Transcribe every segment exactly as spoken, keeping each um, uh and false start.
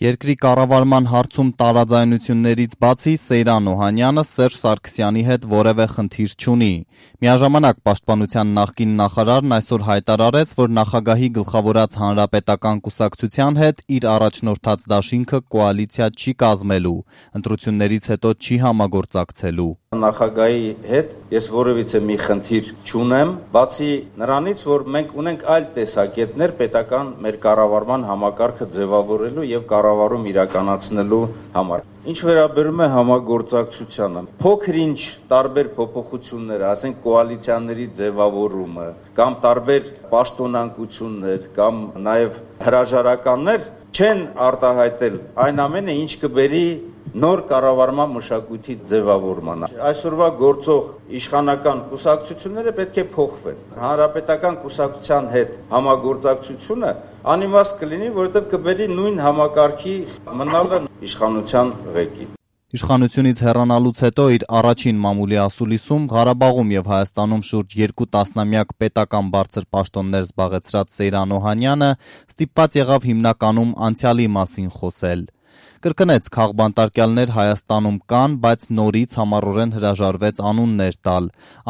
Երկրի կառավարման հարցում տարաձայնություններից բացի Սեյրան Օհանյանը Սերժ Սարգսյանի հետ որևէ խնդիր չունի։ Միաժամանակ Պաշտպանության նախկին նախարարն այսօր հայտարարեց, որ նախագահի գլխավորած հանրապետական կուսակցության հետ իր առաջնորդած դաշինքը կոալիցիա չի կազմելու, ընտրություններից հետո չի համագործակցելու։ Նախագահի հետ ես որևիցե մի խնդիր չունեմ, բացի նրանից, որ մենք ունենք այլ տեսակետներ պետական մեր կառավարման համակարգը ձևավորելու եւ կառավարում իրականացնելու համար։ Ինչ վերաբերում է համագործակցությանը, փոքր-ինչ տարբեր փոփոխություններ, ասենք կոալիցիաների ձևավորումը, կամ տարբեր պաշտոնանկություններ, կամ նաեւ հրաժարականներ չեն արտահայտել այն ամենը, ինչ կբերի նոր կառավարման մշակույթի ձևավորմանը։ Այսօրվա գործող իշխանական կուսակցությունները պետք է փոխվեն։ Հանրապետական կուսակցության հետ համագործակցությունը անիմաստ կլինի, որովհետև կբերի նույն համակարգի մնալը իշխանության ղեկին։ Իշխանությունից հեռանալուց հետո իր առաջին մամուլի ասուլիսում Ղարաբաղում եւ Հայաստանում շուրջ երկու տասնամյակ պետական բարձր պաշտոններ զբաղեցրած Սեյրան Օհանյանը ստիպված եղավ հիմնականում անցյալի մասին խոսել։ Կրկնեց քաղբանտարկյալներ Հայաստանում կան, բայց նորից համառորեն հրաժարվեց անուններ տալ,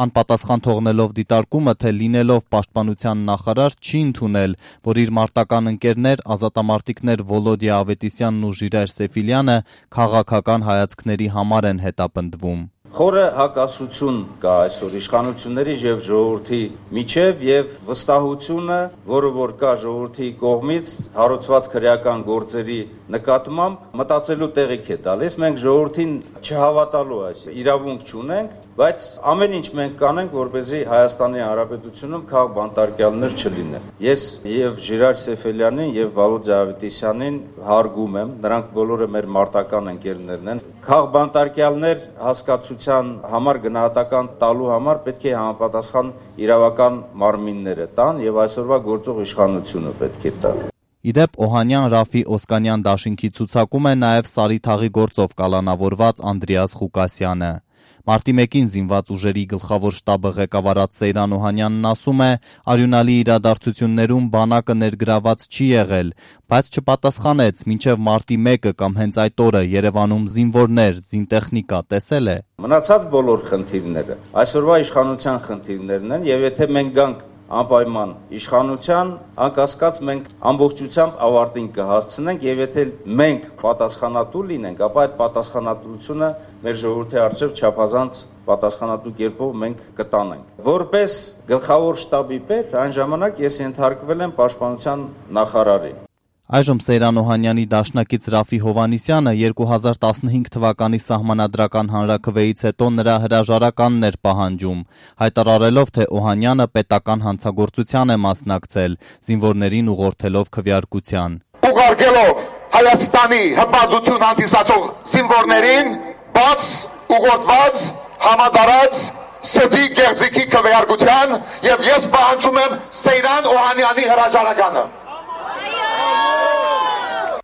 անպատասխան թողնելով դիտարկումը, թե լինելով պաշտպանության նախարար չի ընդունել, որ իր մարտական ընկերներ ազատամարտիկներ Վոլոդիա Ավետիսյանն ու Ժիրայր Սեֆիլյանը քաղաքական հայացքների համար են հետապնդվում։ Խորը հակասություն կա այսօր իշխանությունների եւ ժողովրդի միջև եւ վստահությունը, որը որ կա ժողովրդի կողմից հարուցված քրեական գործերի նկատմամբ մտածելու տեղիք է տալիս։ Մենք ժողովրդին չհավատալու այս իրավունք չունենք, բայց ամեն ինչ մենք կանենք, որպեսզի Հայաստանի Հանրապետությունում քաղբանտարկյալներ չլինեն։ Ես եւ Ժիրայր Սեֆիլյանին եւ Վոլոդիա Ավետիսյանին հարգում եմ, նրանք բոլորը մեր մարտական ընկերներն են։ Քաղբանտարկյալներ հասկացության համար գնահատական տալու համար պետք է համապատասխան իրավական մարմինները տան եւ այսօրվա գործող իշխանությունը պետք է տա։ Իդեպ Օհանյան Ռաֆի Օսկանյան դաշինքի ցուցակում է նաև Սարիթաղի գործով կալանավորված Անդրեաս Ղուկասյանը։ Մարտի մեկին զինված ուժերի գլխավոր շտաբը ղեկավարած Սեյրան Օհանյանն ասում է, արյունալի իրադարձություններում բանակը ներգրաված չի եղել, բայց չպատասխանեց, մինչև մարտի մեկը կամ հենց այդ օրը Երևանում զինվորներ, զինտեխնիկա տեսել է։ Մնացած բոլոր խնդիրները այսօրվա իշխանության խնդիրներն են եւ եթե մենք գանք անպայման իշխանության, անկասկած մենք ամբողջությամբ ավարտին կհասցնենք եւ եթե մենք պատասխանատու լինենք, ապա այդ պատասխանատվությունը մեր ժողովրդի առջև չափազանց պատասխանատու կերպով մենք կտանենք։ Որպես գլխավոր շտաբի պետ, այն ժամանակ ես ենթարկվել եմ պաշտպանության նախարարին։ Այժմ Սեյրան Օհանյանի դաշնակից Ռաֆի Հովհաննիսյանը երկու հազար տասնհինգ թվականի սահմանադրական հանրաքվեից հետո նրա հրաժարականն էր պահանջում, հայտարարելով, թե Օհանյանը պետական հանցագործության է մասնակցել, զինվորներին ուղղորդելով քվեարկության։ Ուղարկելով Հայաստանի հպատություն հանդիսացող զինվորներին բաց ուղղորդված համադարած սդի գեղձիկի քվեարկության եւ ես պահանջում եմ Սեյրան Օհանյանի հրաժարականը։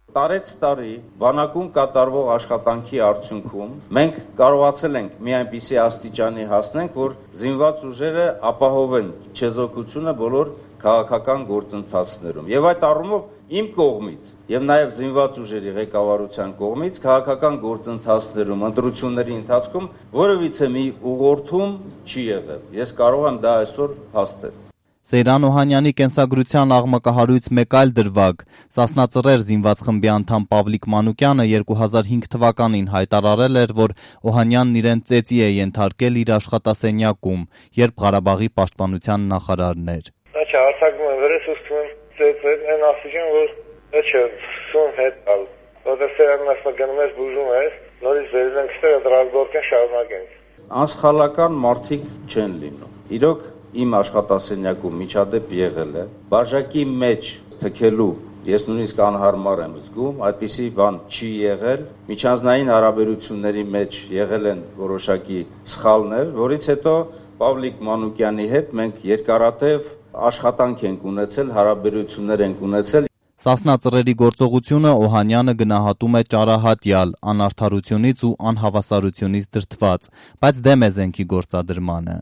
Տարեց տարի բանակում կատարվող աշխատանքի արդյունքում մենք կարողացել ենք մի այնպիսի աստիճանի հասնենք, որ զինված ուժերը ապահովեն չեզոքությունը բոլոր քաղաքական գործընթացներում։ Եվ այդ առումով իմ կողմից եւ նաեւ զինված ուժերի ղեկավարության կողմից քաղաքական գործընթացներում, ընտրությունների ընթացքում որևիցե մի ուղղորդում չի եղել։ Ես կարող եմ դա այսօր հաստատել։ Սեյրան Օհանյանի կենսագրության աղմկահարույց մեկ այլ դրվագ, Սասնա Ծռեր զինված խմբի անդամ Պավլիկ Մանուկյանը երկու հազար հինգ թվականին հայտարարել էր, որ Օհանյանն իրեն ծեծի է ենթարկել իր աշխատասենյակում, երբ Ղարաբաղի պաշտպանության նախարարն էր։ Դա չհարցակում եմ վրես ուստում եմ ծեծել, այն ասիջան, որ դա չէ, սուն հետ ալ, որտեղ Սեյրանն ասում գնում ես բուժում ես, նորից վերել ենք ստեղ դրազգորքեն շարունակենք։ Անսխալական մարդիկ չեն լինում։ Իրոք իմ աշխատասենյակում միջադեպ եղել է, բաժակի մեջ թքելու ես նույնիսկ անհարմար եմ զգում, այդպիսի բան չի եղել, միջանձնային հարաբերությունների մեջ եղել են որոշակի սխալներ, որից հետո Պավլիկ Մանուկյանի հետ մենք երկարատև աշխատանք ենք ունեցել, հարաբերություններ ենք ունեցել։ Սասնա ծռերի գործողությունը Օհանյանը գնահատում է ճարահատյալ, անարդարությունից ու անհավասարությունից դրդված, բայց դեմ է զենքի գործադրմանը։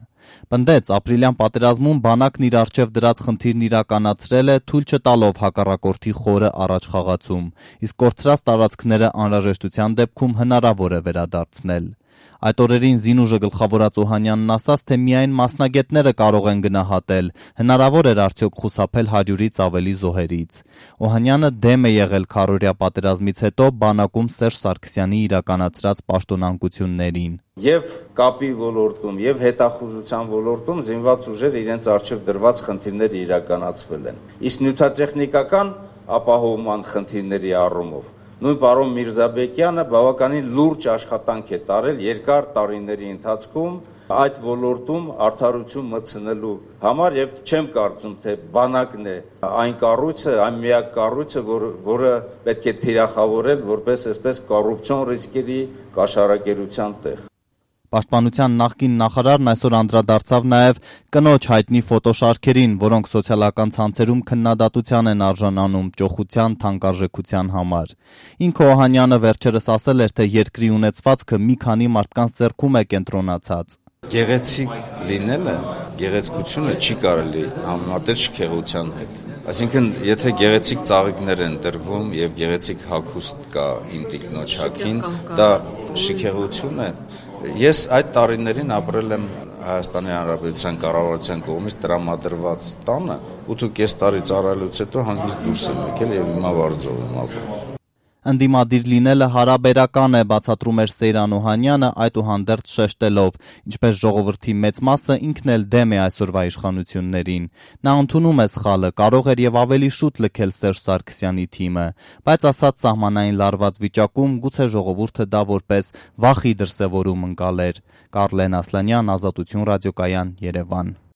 Պնդեց, ապրիլյան պատերազմում բանակն իր առջև դրած խնդիրն իրականացրել է, թույլ չտալով հակառակորդի խորը առաջխաղացում, իսկ կորցրած տարածքները անհրաժեշտության դեպքում հնարավոր է վերադարձնել։ Այդ օրերին Զինուժը գլխավորած Օհանյանն ասաց, թե միայն մասնագետները կարող են գնահատել, հնարավոր էր արդյոք խուսափել հարյուրից ավելի զոհերից։ Օհանյանը դեմ է եղել քառօրյա պատերազմից հետո բանակում Սերժ Սարգսյանի իրականացրած պաշտոնանկություններին։ Եվ կապի ոլորտում, եւ հետախուզության ոլորտում զինված ուժեր իրենց առջև դրված խնդիրները իրականացվել են։ Իսկ նյութատեխնիկական ապահովման խնդիրների առումով նույն պարոն Միրզաբեկյանը բավականին լուրջ աշխատանք է տարել երկար տարիների ընթացքում այդ ոլորտում արդարություն մտցնելու համար եւ չեմ կարծում, թե բանակն է այն կառույցը, այն միակ կառույցը, որ, որը պետք է թիրախավորել որպես այսպես կոռուպցիոն ռիսկերի կաշառակերության տեղ։ Պաշտպանության նախկին նախարարն այսօր անդրադարձավ նաև կնոջ հայտնի ֆոտոշարքերին, որոնք սոցիալական ցանցերում քննադատության են արժանանում ճոխության թանկարժեքության համար։ Ինքը Օհանյանը վերջերս ասել էր, թե երկրի ունեցվածքը մի քանի մարդկանց ձեռքում է կենտրոնացած։ Գեղեցիկ լինելը, գեղեցկությունը չի կարելի համեմատել շքեղության հետ։ Այսինքն, եթե գեղեցիկ ծաղիկներ են տրվում եւ գեղեցիկ հագուստ կա իմ տիկնոջ հագին, դա շքեղություն է։ Ես այդ տարիներին ապրել եմ Հայաստանի Հանրապետության կառավարության կողմից տրամադրված տանը, ութ տարի ծառայելուց հետո հանգիստ դուրս եմ եկել եւ հիմա Վարձով եմ ապրում։ Ընդդիմադիր լինելը հարաբերական է, բացատրում էր Սեյրան Օհանյանը, այդուհանդերձ շեշտելով, ինչպես ժողովրդի մեծ մասը ինքն էլ դեմ է այսօրվա իշխանություններին։ Նա ընդունում է սխալը, կարող էր եւ ավելի շուտ լքել Սերժ Սարգսյանի թիմը, բայց ասած սահմանային լարված վիճակում գուցե ժողովուրդը դա որպես վախի դրսևորում ընկալեր։ Կարլեն Ասլանյան, Ազատություն ռադիոկայան, Երևան։